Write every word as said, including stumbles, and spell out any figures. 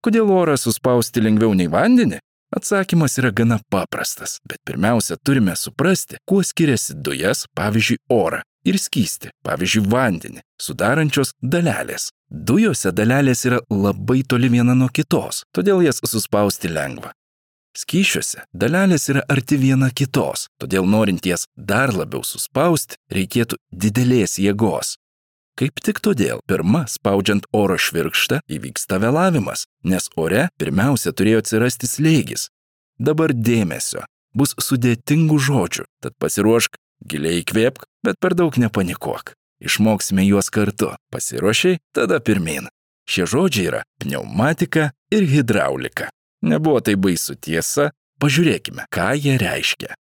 Kodėl orą suspausti lengviau nei vandenį? Atsakymas yra gana paprastas, bet pirmiausia turime suprasti, kuo skiriasi dujas, pavyzdžiui, orą, ir skystį, pavyzdžiui, vandenį, sudarančios dalelės. Dujose dalelės yra labai toli viena nuo kitos, todėl jas suspausti lengva. Skysčiuose dalelės yra arti viena kitos, todėl norint jas dar labiau suspausti, reikėtų didelės jėgos. Kaip tik todėl pirma, spaudžiant oro švirkštą, įvyksta vėlavimas, nes ore pirmiausia turėjo atsirasti slėgis. Dabar dėmesio, bus sudėtingų žodžių, tad pasiruošk, giliai įkvėpk, bet per daug nepanikuok. Išmoksime juos kartu. Pasiruošiai, tada pirmyn. Šie žodžiai yra pneumatika ir hidraulika. Nebuvo tai baisu, tiesa, pažiūrėkime, ką jie reiškia.